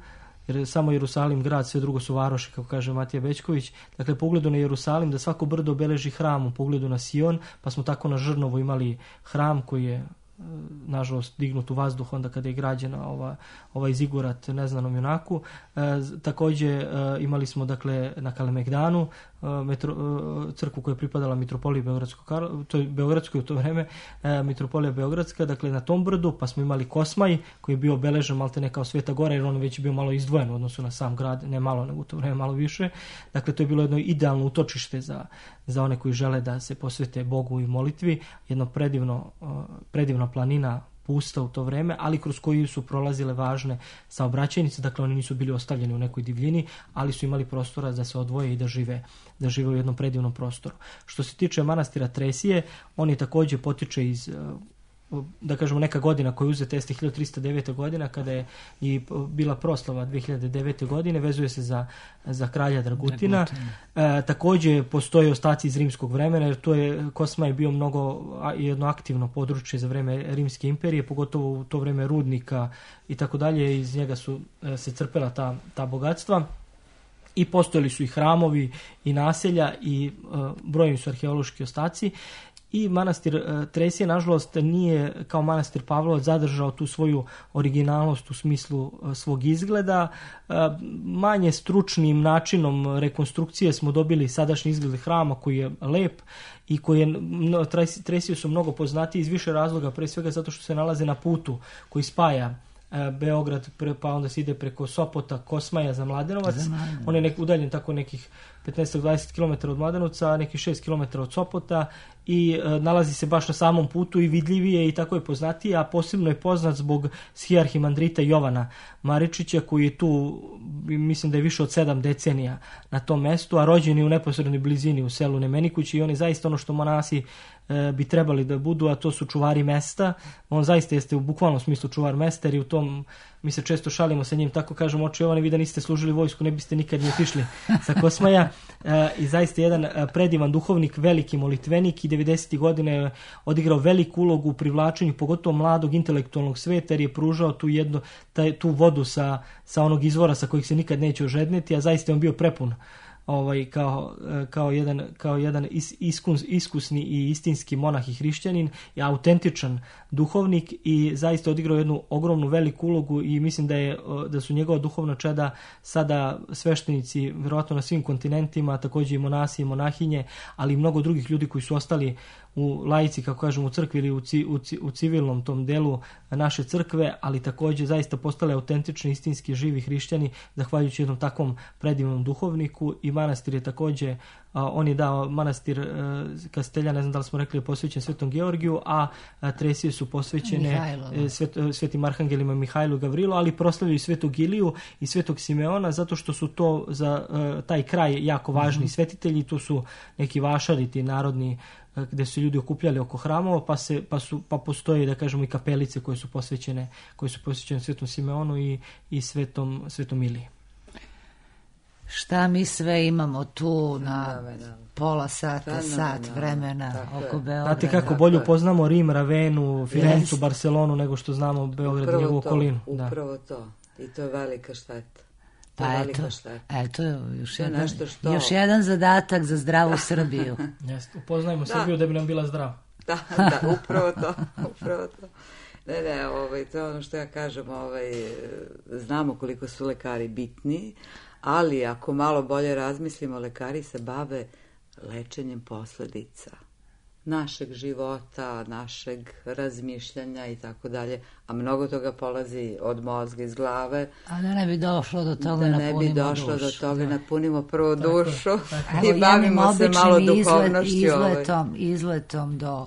jer samo Jerusalim grad, sve drugo su varoši, kako kaže Matija Bećković, dakle po ugledu na Jerusalim, da svako brdo obeleži hram po ugledu na Sion, pa smo tako na Žrnovu imali hram koji je nažalost dignut u vazduh onda kada je građena ovaj zigurat neznanom junaku. Također imali smo dakle na Kalemegdanu crkvu koja je pripadala mitropoliji Beogradskoj u to vreme, mitropolija Beogradska, dakle na tom brdu, pa smo imali Kosmaj koji je bio obeležen maltene kao Sveta Gora, jer on već bio malo izdvojen u odnosu na sam grad, ne malo, nego u to vreme malo više. Dakle, to je bilo jedno idealno utočište za one koji žele da se posvete Bogu i molitvi, jedno predivna planina pusta u to vreme, ali kroz koju su prolazile važne saobraćajnice, dakle oni nisu bili ostavljeni u nekoj divljini, ali su imali prostora da se odvoje i da žive u jednom predivnom prostoru. Što se tiče manastira Tresije, on je također potiče iz, da kažemo, neka godina koja je uzeta jeste 1309. godina, kada je i bila proslava 2009. godine, vezuje se za kralja Dragutina. Također postoje ostaci iz rimskog vremena, jer Kosma je bio jedno aktivno područje za vreme Rimske imperije, pogotovo u to vreme rudnika i tako dalje, iz njega su se crpela ta bogatstva. I postojali su i hramovi i naselja i brojni su arheološki ostaci. I manastir Tresije, nažalost, nije kao manastir Pavlovac zadržao tu svoju originalnost u smislu svog izgleda. Manje stručnim načinom rekonstrukcije smo dobili sadašnji izgled hrama koji je lep i Tresije su mnogo poznatiji iz više razloga, pre svega zato što se nalaze na putu koji spaja Beograd, pa onda se ide preko Sopota, Kosmaja za Mladenovac. On je udaljen tako nekih 15-20 km od Mladenovca, a nekih 6 km od Sopota i nalazi se baš na samom putu i vidljivije i tako je poznatiji, a posebno je poznat zbog schiarhimandrita Jovana Maričića, koji je tu, mislim da je više od 7 decenija na tom mestu, a rođen je u neposrednoj blizini u selu Nemenikući, i on je zaista ono što monasi bi trebali da budu, a to su čuvari mesta. On zaista jeste u bukvalnom smislu čuvar mesta, jer i u tom, mi se često šalimo sa njim, tako kažemo, oče Jovane, vi da niste služili vojsku, ne biste nikad ni otišli sa Kosmaja. I zaista jedan predivan duhovnik, veliki molitvenik, i 90. godine je odigrao veliku ulogu u privlačenju pogotovo mladog intelektualnog sveta, jer je pružao tu vodu sa onog izvora sa kojih se nikad neće ožedneti, a zaista je on bio prepun kao jedan iskusni i istinski monah i hrišćanin, i autentičan duhovnik, i zaista odigrao jednu ogromnu veliku ulogu, i mislim da su njegova duhovna čeda sada sveštenici vjerojatno na svim kontinentima, također i monasi i monahinje, ali i mnogo drugih ljudi koji su ostali u laici, kako kažemo, u crkvi ili u civilnom tom delu naše crkve, ali također zaista postale autentični, istinski, živi hrišćani, zahvaljujući jednom takvom predivnom duhovniku. I manastir je također, on je dao manastir Kastelja, ne znam da li smo rekli, je posvećen Svetom Georgiju, a Tresije su posvećene svetim arhangelima Mihajlu i Gavrilu, ali proslavljaju Svetog Iliju i Svetog Simeona, zato što su to za taj kraj jako važni svetitelji. To su neki vašari, ti narodni, gdje su ljudi okupljali oko hramova, pa postoje, da kažemo, i kapelice koje su posvećene Svetom Simeonu i Svetom Iliji. Šta mi sve imamo tu na pola sata, sat vremena oko Beograda. Znate kako bolje poznamo Rim, Ravenu, Firencu, Barcelonu nego što znamo Beograd i njegovu okolinu. Upravo to. I to je velika šteta. Pa eto, još jedan zadatak za zdravu Srbiju. Jeste, upoznajmo Srbiju da bi nam bila zdrava. Da, upravo to. To je ono što ja kažem, znamo koliko su lekari bitni, ali ako malo bolje razmislimo, lekari se bave lečenjem posledica našeg života, našeg razmišljanja i tako dalje, a mnogo toga polazi od mozga, iz glave. A da ne bi došlo do toga napunimo dušu. Napunimo prvo dušu i bavimo se malo duhovnošću. Izletom do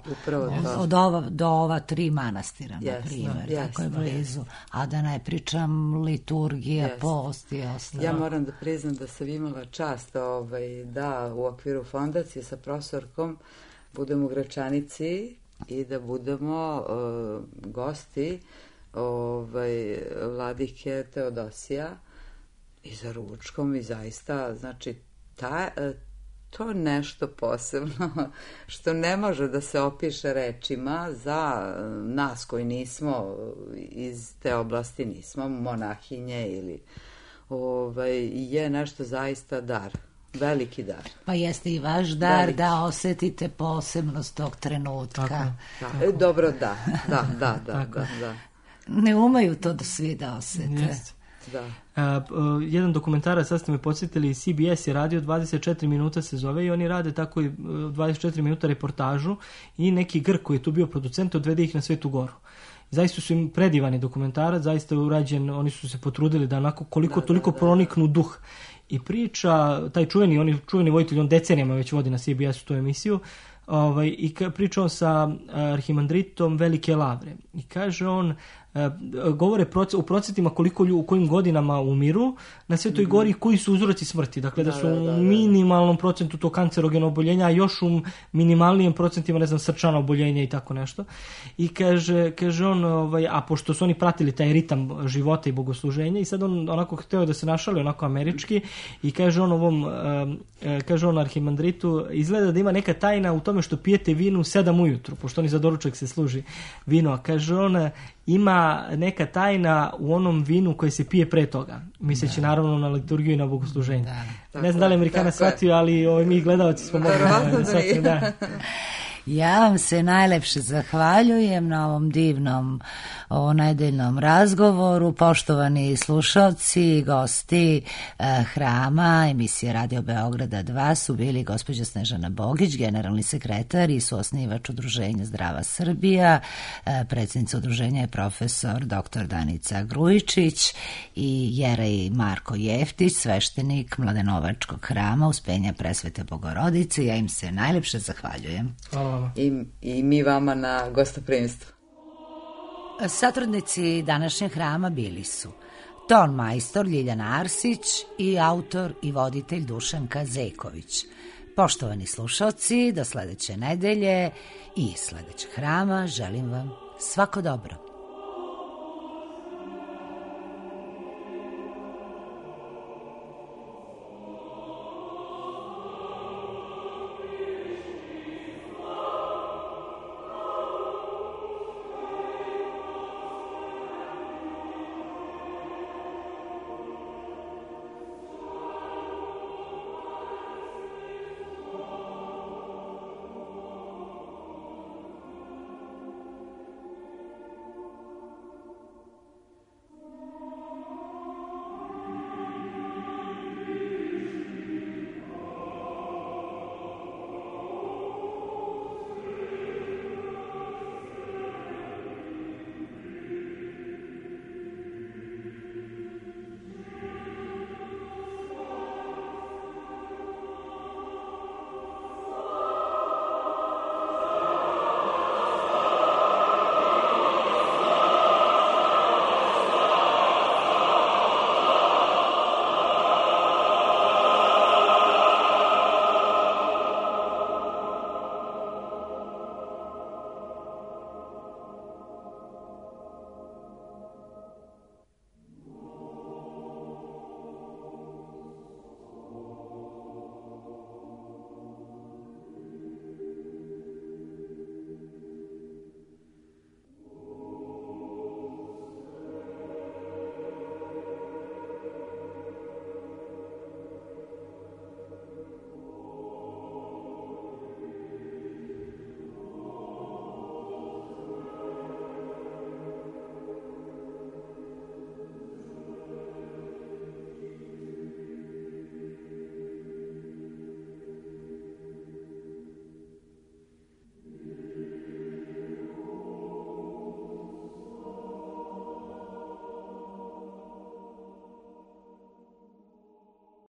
ova 3 manastira, na primjer, tako je blizu. A da ne pričam liturgija, post i ostalo. Ja moram da priznam da sam imala čast da u okviru fondacije sa profesorkom budemo u Gračanici i da budemo gosti vladike Teodosija i za ručkom i zaista, znači, to nešto posebno što ne može da se opiše rečima za nas koji nismo iz te oblasti, nismo monahinje ili je nešto zaista dar. Veliki dar. Pa jeste i vaš dar da osetite posebnost tog trenutka. Dobro, da. Ne umeju to svi da osete. Jedan dokumentarac, sad ste me podsjetili, CBS je radio 24 minuta se zove i oni rade tako i 24 minuta reportažu i neki Grk koji je tu bio producent odvede ih na Svetu Goru. Zaista su im predivani dokumentarac, zaista je urađen, oni su se potrudili da onako koliko toliko proniknu duh. I priča, taj čuveni voditelj, on decenijama već vodi na CBS-u tu emisiju, i priča on sa arhimandritom Velike Lavre. I kaže on, govore u procentima koliko u kojim godinama umiru na Svetoj Gori i koji su uzroci smrti. Dakle, da su u minimalnom procentu to kancerogeno oboljenja, a još u minimalnijem procentima, ne znam, srčana oboljenja i tako nešto. I kaže on, a pošto su oni pratili taj ritam života i bogosluženja i sad on onako hteo da se našali onako američki i kaže on arhimandritu, izgleda da ima neka tajna u tome što pijete vinu 7 ujutru, pošto oni za doručak se služi vino, a kaže on, ima neka tajna u onom vinu koje se pije pre toga, misleći naravno na liturgiju i na bogosluženje. Ne znam da li Amerikana shvatio, ali mi gledalci smo mogli shvatiti. Ja vam se najlepše zahvaljujem na ovom divnom nedeljnom razgovoru. Poštovani slušalci i gosti hrama emisije Radio Beograda 2 su bili gospođa Snežana Bogić, generalni sekretar i suosnivač Udruženja Zdrava Srbija, predsjednica udruženja je profesor dr. Danica Grujičić i Jerej Marko Jeftić, sveštenik Mladenovačkog hrama Uspenja Presvete Bogorodice. Ja im se najlepše zahvaljujem. Hvala. I mi vama na gostoprimstvu. Satrudnici današnjeg hrama bili su ton majstor Ljiljana Arsić i autor i voditelj Dušanka Zeković. Poštovani slušalci, do sledeće nedelje i sledećeg hrama želim vam svako dobro.